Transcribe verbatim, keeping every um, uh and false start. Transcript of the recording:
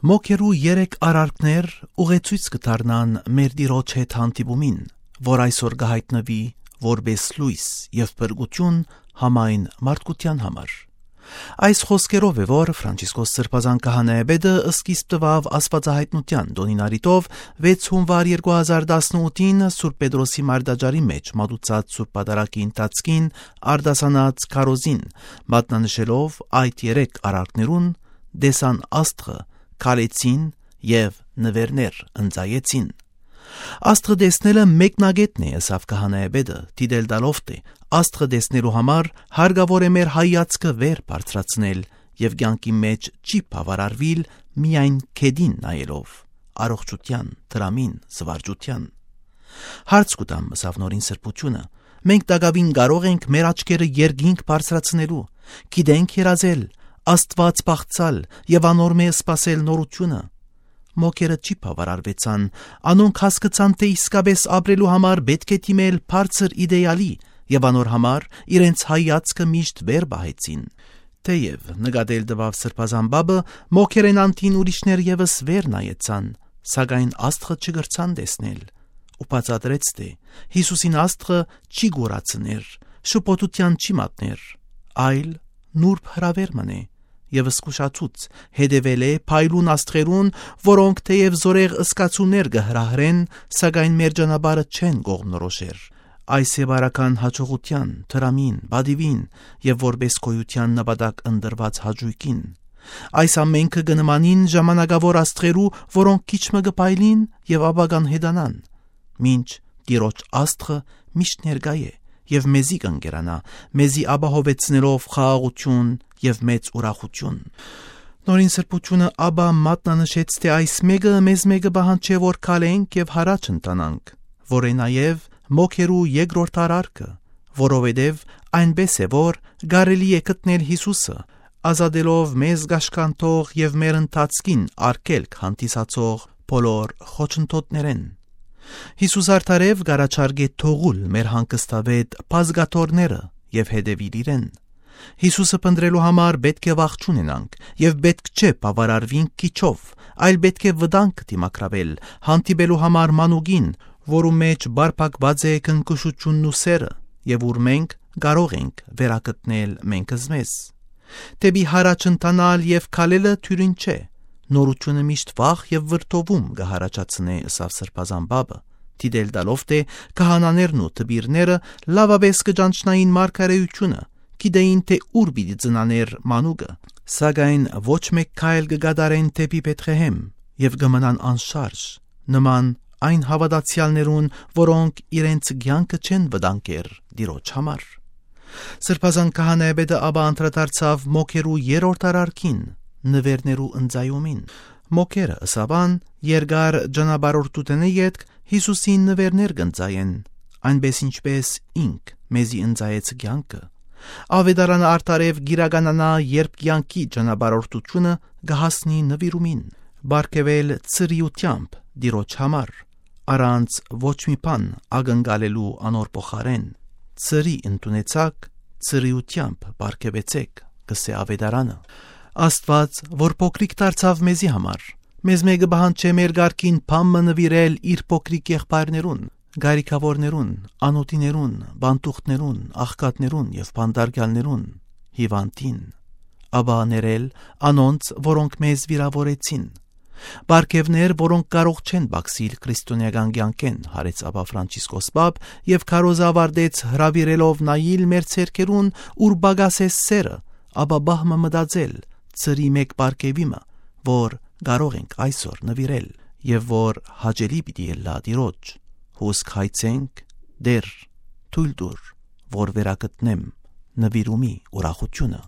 Մոգերու երեք արարքներ ուղեցոյց կը դառնան մեր Տիրոջ հետ հանդիպումին, որ այսօր կը յայտնուի որպէս լոյս եւ փրկութիւն համայն մարդկութեան համար։ Այս խօսքերով է, որ Ֆրանցիսկոս Սրբազան Քահանայապետը սկիզբ տուաւ Աստուածահայտնութեան տօնին առիթով վեց հունուար երկու հազար տասնութին Սուրբ Պետրոսի մարտաճարի մէջ մատուցած Սուրբ Պատարագի ընթացքին արտասանած քարոզին, մատնանշելով այդ երեք արարքներուն՝ տեսան Աստղը, քալեցին եւ նուէրներ ընծայեցին։ Աստղը տեսնելը մեկնագետն է, ըսաւ Քահանայապետը, դիտել տալով թէ Աստղը տեսնելու համար հարկաւոր է մեր հայացքը վեր բարձրացնել եւ կեանքի մէջ չի բաւարարուիլ միայն գետին նայելով, առողջութեան, դրամին, զուարճութեան։ Հարց կու տամ, ըսաւ Նորին Սրբութիւնը, մենք տակաւին կարո՞ղ ենք մեր աչքերը երկինք բարձրացնելու, գիտենք երազել, Աստուած պաղծալ եւ անոր մէ սպասել նորութիւնը։ Մոգերը չի բաւարարուեցան, անոնք հասկցան թէ իսկապէս ապրելու համար պէտք է դիմել բարձր իտէալի եւ անոր համար իրենց հայացքը միշտ վեր պահեցին։ Թէեւ նկատել տուաւ Սրբազան Պապը, մոգերէն անդին ուրիշներ եւս վեր նայեցան, սակայն Աստղը չկրցան տեսնել ու բացատրեց թէ Յիսուսին Աստղը չի կորացներ, շփոթութեան չի մատներ, այլ նուրբ հրաւեր մըն է եւ զգուշացուց, հետեւել է փայլուն աստղերուն, որոնք թէեւ զօրեղ զգացումներ կը հրահրեն, սակայն մեր ճանապարհը չեն կողմնորոշեր։ Այս է բարական յաջողութեան, դրամին, պատիւին եւ որպէս գոյութեան նպատակ ընտրուած հաճոյքին։ Այս ամենքը կը նմանին ժամանակաւոր աստղերու, որոնք քիչ մը կը փայլին եւ ապա կ'անհետանան, մինչ Տիրոջ Աստղը միշտ ներկայ է եւ մեզի կ'ընկերանայ, մեզի ապահովեցնելով խաղաղութիւն եւ մեծ ուրախութիւն։ Նորին Սրբութիւնը ապա մատնանշեց թէ այս մէկը մեզմէ կը պահանջէ, որ քալենք եւ յառաջ ընթանանք, որ է նաեւ մոգերու երկրորդ արարքը, որովհետեւ այնպէս է, որ կարելի է գտնել Յիսուսը, ազատելով մեզ կաշկանդող եւ մեր ընթացքին արգելք հանդիսացող բոլոր խոչընդոտներէն։ Յիսուս արդարեւ կ'առաջարկէ թողուլ մեր հանգստավետ բազկաթոռները եւ հետեւիլ իրեն։ Յիսուսը փնտռելու համար պէտք է վախ չունենանք եւ պէտք չէ բաւարարուինք քիչով, այլ պէտք է վտանգ դիմագրաւել, հանդիպելու համար մանուկին, որու մէջ պարփակուած է քնքուշութիւնն ու սէրը, եւ ուր մենք կարող ենք վերագտնել մենք զմեզ։ Դէպի յառաջ ընթանալ եւ քալելը թիւրին չէ, նորութիւնը միշտ վախ եւ վրդովում կը յառաջացնէ, ըսաւ Սրբազան Պապը, դիտել տալով թէ քահանաներն ու դպիրները լաւապէս կը ճանչնային մարգարէութիւնը, գիտէին թէ ուր պիտի ծնանէր մանուկը, սակայն ոչ մէկ քայլ կը կատարեն դէպի Բեթղեհեմ եւ կը մնան անշարժ, նման այն հաւատացեալներուն, որոնք իրենց կեանքը չեն վտանգեր Տիրոջ համար։ Սրբազան Քահանայապետը ապա անդրադարձաւ մոգերու երրորդ արարքին, նուէրներու ընծայումին։ Մոգերը, ըսաւ ան, երկար ճանապարհորդութենէ ետք Յիսուսին նուէրներ կ'ընծայեն, այնպէս ինչպէս ինք մեզի ընծայեց կեանքը։ Աւետարանը արդարեւ կ'իրականանայ, երբ կեանքի ճանապարհորդութիւնը կը հասնի նուիրումին, պարգեւել ցրիութեամբ Տիրոջ համար, առանց ոչ մի բան ակնկալելու անոր փոխարէն։ «Ցրի ընդունեցաք, ցրիութեամբ պարգեւեցէք», կ'ըսէ Աւետարանը։ Աստուած, որ փոքրիկ դարձաւ մեզի համար, մեզմէ կը պահանջէ մեր կարգին բան մը նուիրել իր փոքրիկ եղբայրներուն, գարիքաւորներուն, անօթիներուն, պանդուխտներուն, աղքատներուն եւ բանտարկեալներուն, հիւանդին, ապա ներել անոնց, որոնք մեզ վիրաւորեցին։ Պարգեւներ, որոնք կարող չեն պակսիլ քրիստոնէական կեանքէն, յարեց Աբա Ֆրանցիսկոս Պապ եւ քարոզը աւարտեց հրաւիրելով նայիլ մեր ձեռքերուն, ուր պակաս է սէրը, ապա պահ մը մտածել, ցրի մէկ պարգեւի մը, որ կարող ենք այսօր նուիրել եւ որ հաճելի պիտի ըլլայ Տիրոջ։ Հուսք հայցենք, Տէր, թոյլ տուր, որ վերագտնեմ նուիրումի ուրախութիւնը։